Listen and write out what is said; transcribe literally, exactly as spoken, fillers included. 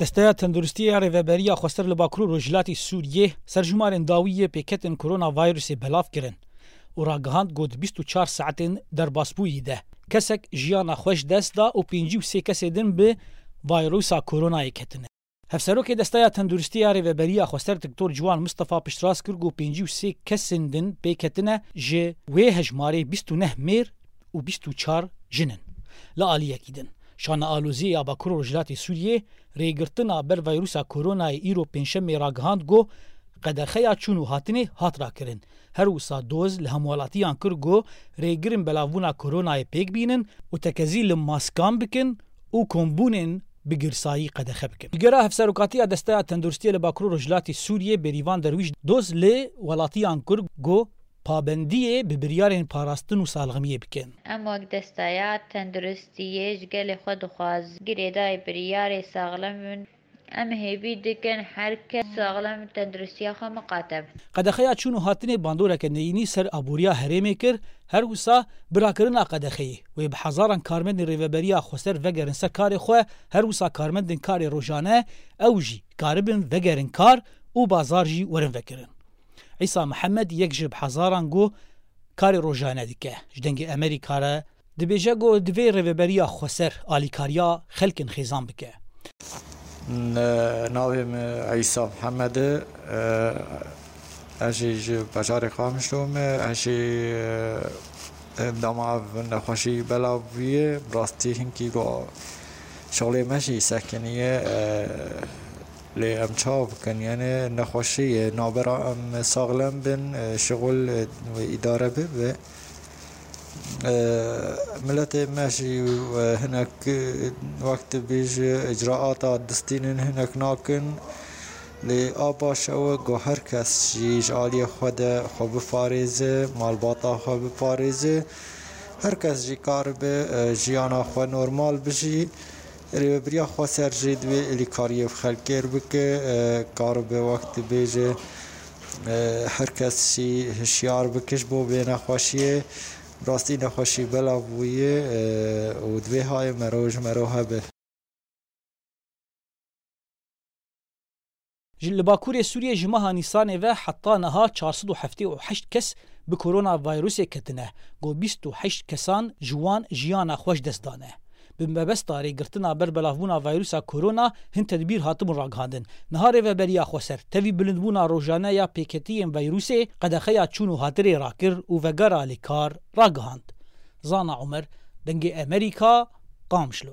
Desteya Tenduristiyê ya Rêveberiya Xweser li Bakur û Rojhilatê Sûriyê serjimarên dawî yê pêketin koronavîrusê belav kirin û ragihand ku di bîst û çar saetên derbasbûyî de kesek jiyana xwe ji dest da û pêncî û sê kesê din bi vîrusa koronayê ketine. Hevserokê Desteya Tenduristiyê ya Rêveberiya Xweser Doktor Ciwan Mistefa piştrast kir ku pêncî û sê kesên din pê ketine, ji wê hejmarê bîst û neh mêr û bîst û çar jin in. Li aliyekî din, Şanealoziyê ya Bakur û Rojhilatê Sûriyê rêgirtina ber vîrusa koronayê îro pêncşemê ragihand ku qedexeya çûn û hatinê hat rakirin. Her wisa doz li hemwelatiyan kir ku rêgirên belavbûna koronayê pêk bînin û tekezî li maskan bikin û kombûnên bi girsayî qedexe bikin. Ji gera Hevserokatiya Desteya Tenduristiyê li Bakur û Rojhilatê Sûriyê Bêrîvan Derwîş, doz li welatiyan kir ku pabendiyê bi biryarên parastin û salixmiyê bikin. Em wek Desteya Tenduristiyê ji gelê xwe dixwazin girêdayî biryarê saxlem bin. Em hêvî dikin her kes saxlem tenduristiya xwe miqate bin. Qedexeya çûn û hatinê bandoreke neyînî ser aboriya herêmê kir, her wisa bi rakirina qedexeyê wê bi hezaran karmendên Rêveberiya Xweser vegerin ser karê xwe, her wisa karmendên karê rojane ew jî karibin vegerin kar û bazar jî werin vekirin. Îsa Mihemed yek ji bi hezaran ku karê rojane dike, ji Dengê Emerîka re dibêje ku divê Rêveberiya Xweser alîkariya xelkên xêzan bike. N-, navê min Îsa Mihemed e. Ez jî ji bajarê Qamişlo me. Ez jî, e, dema ev nexweşî belav bûye, bi rastî hinkî ku şixulê me jî sekiniye. E, Lê em çawa bikin? Yanî nexweşî ye, nabera em saxlem bin, e, şixul, e, wê îdare bibe. E, miletê me jî, e, hinek, e, wek dibêje, icraata distînin hinek nakin. Lê a baş ew e ku her kes jî ji aliyê xwe de xwe biparêze, malbata xwe biparêze. Her kes jî karibe, e, jiyana xwe normal bijî. Rêveberiya Xweser jî divê alîkariyê bi xelkê re bike, e, karibe wek dibêje, e, her kes jî hişyar bike ji bo vê nexweşiyê. Rastî nexweşî belav bûye, e, û divê hayê mero ji mero hebe. Ji, li Bakurê Sûriyê ji meha Nîsanê ve heta niha çar sed û heftê û heşt kes bi koronavîrusê ketine, ku bîst û heşt kesan ji wan jiyana xwe ji dest dane. Bi mebesta rêgirtina ber belavbûna vîrusa korona hin tedbîr hatibûn ragihandin. Niha Rêveberiya Xweser tevî bilindbûna rojane ya pêketiyên vîrusê qedexeya çûn û hatinê rakir û vegera li kar ragihand. Zana Omer, Dengê Emerîka, Qamişlo.